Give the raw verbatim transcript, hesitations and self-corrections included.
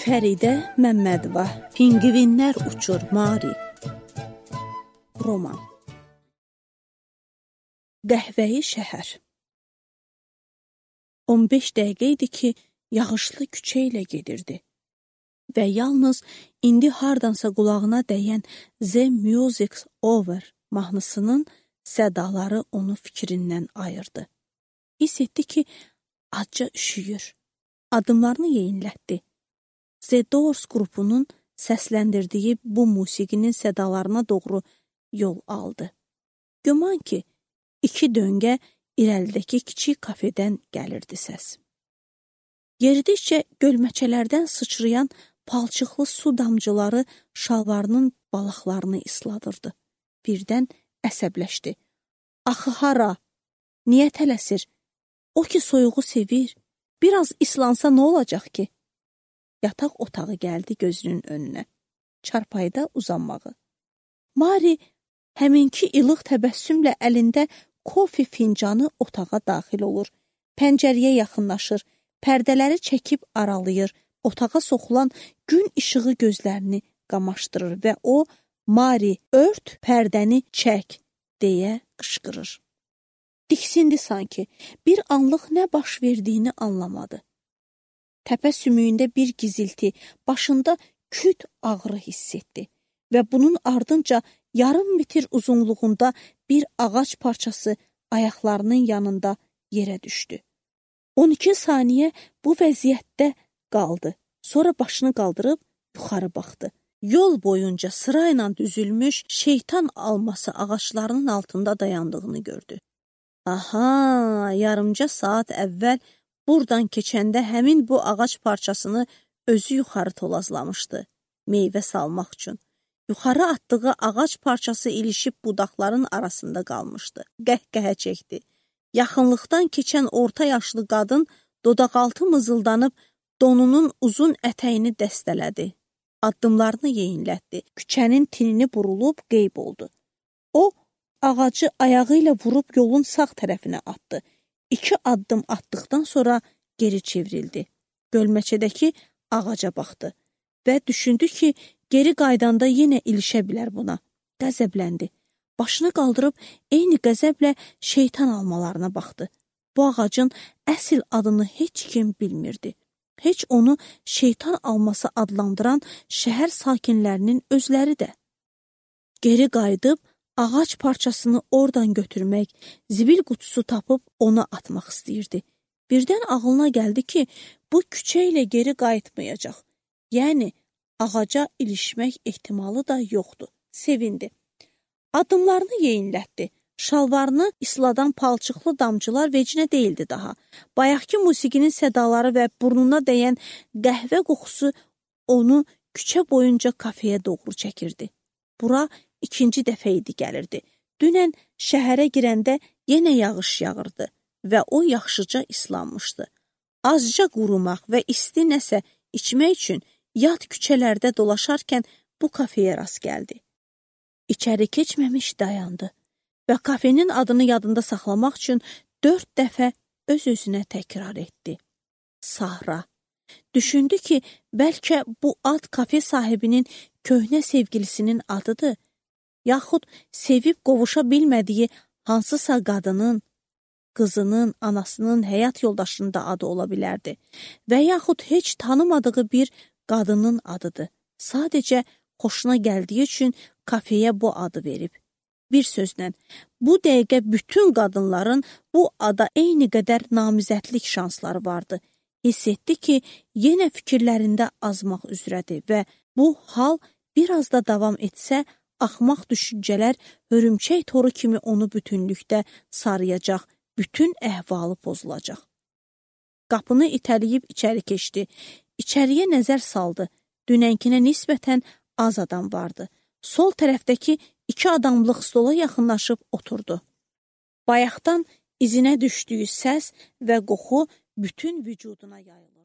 Fəridə Məmmədova, Pingvinlər uçur Mari. Roman. Qəhvəyi şəhər. on beş dəqiqə idi ki, yağışlı küçə ilə gedirdi və yalnız indi hardansa qulağına dəyən The Music's Over mahnısının sədaları onu fikrindən ayırdı. Hiss etdi ki, acca üşüyür. Adımlarını yeyinlətdi. The Doors qrupunun səsləndirdiyi bu musiqinin sədalarına doğru yol aldı. Güman ki, iki döngə irəlidəki kiçik kafedən gəlirdi səs. Yeridikcə gölməçələrdən sıçrayan palçıqlı su damcıları şalvarının balaqlarını isladırdı. Birdən əsəbləşdi. Axı hara? Niyə tələsir? O ki soyuğu sevir. Biraz islansa nə olacaq ki? Yataq otağı gəldi gözünün önünə. Çarpayıda uzanmağı. Mari həminki ilıq təbəssümlə əlində kofe fincanı otağa daxil olur. Pəncərəyə yaxınlaşır, pərdələri çəkib aralayır, otağa soxulan gün işığı gözlərini qamaşdırır və o, Mari, ört pərdəni çək, deyə qışqırır. Diksindi sanki, bir anlıq nə baş verdiyini anlamadı. Təpə sümüyündə bir gizilti, başında küt ağrı hiss etdi və bunun ardınca yarım metr uzunluğunda bir ağac parçası ayaqlarının yanında yerə düşdü. on iki saniyə bu vəziyyətdə qaldı. Sonra başını qaldırıb yuxarı baxdı. Yol boyunca sırayla düzülmüş şeytan alması ağaclarının altında dayandığını gördü. Aha, yarımca saat əvvəl buradan keçəndə həmin bu ağac parçasını özü yuxarı tolazlamışdı, meyvə salmaq üçün. Yuxarı atdığı ağac parçası ilişib budaqların arasında qalmışdı. Qəhqəhə çəkdi. Yaxınlıqdan keçən orta yaşlı qadın dodaqaltı mızıldanıb donunun uzun ətəyini dəstələdi. Addımlarını yeyinlətdi. Küçənin tinini burulub qeyb oldu. O, ağacı ayağı ilə vurub yolun sağ tərəfinə atdı. İki addım atdıqdan sonra geri çevrildi. Gölməçədəki ağaca baxdı və düşündü ki, geri qaydanda yenə ilişə bilər buna. Qəzəbləndi. Başını qaldırıb eyni qəzəblə şeytan almalarına baxdı. Bu ağacın əsl adını heç kim bilmirdi. Heç onu şeytan alması adlandıran şəhər sakinlərinin özləri də. Geri qayıdıb ağac parçasını oradan götürmək, zibil qutusu tapıb ona atmaq istəyirdi. Birdən ağlına gəldi ki, bu küçə ilə geri qayıtmayacaq. Yəni, ağaca ilişmək ehtimalı da yoxdur. Sevindi. Adımlarını yeyinlətdi. Şalvarını isladan palçıqlı damcılar vecinə deyildi daha. Bayaqki musiqinin sədaları və burnuna dəyən qəhvə qoxusu onu küçə boyunca kafeyə doğru çəkirdi. Bura ikinci dəfə idi gəlirdi. Dünən şəhərə girəndə yenə yağış yağırdı və o yaxşıca islanmışdı. Azca qurumaq və isti nəsə içmək üçün yad küçələrdə dolaşarkən bu kafeyə rast gəldi. İçəri keçməmiş dayandı və kafenin adını yadında saxlamaq üçün dörd dəfə öz-özünə təkrar etdi. Sahra. Düşündü ki, bəlkə bu ad kafe sahibinin köhnə sevgilisinin adıdır, yaxud sevib qovuşa bilmədiyi hansısa qadının, qızının, anasının, həyat yoldaşının da adı ola bilərdi və yaxud heç tanımadığı bir qadının adıdır. Sadəcə xoşuna gəldiyi üçün kafeyə bu adı verib. Bir sözlə, bu dəqiqə bütün qadınların bu ada eyni qədər namizədlik şansları vardı. Hiss etdi ki, yenə fikirlərində azmaq üzrədir və bu hal biraz da davam etsə, axmaq düşüncələr hörümçək toru kimi onu bütünlükdə sarıyacaq, bütün əhvalı pozulacaq. Qapını itələyib içəri keçdi. İçəriyə nəzər saldı. Dünənkinə nisbətən az adam vardı. Sol tərəfdəki iki adamlıq stola yaxınlaşıb oturdu. Bayaqdan izinə düşdüyü səs və qoxu bütün vücuduna yayılırdı.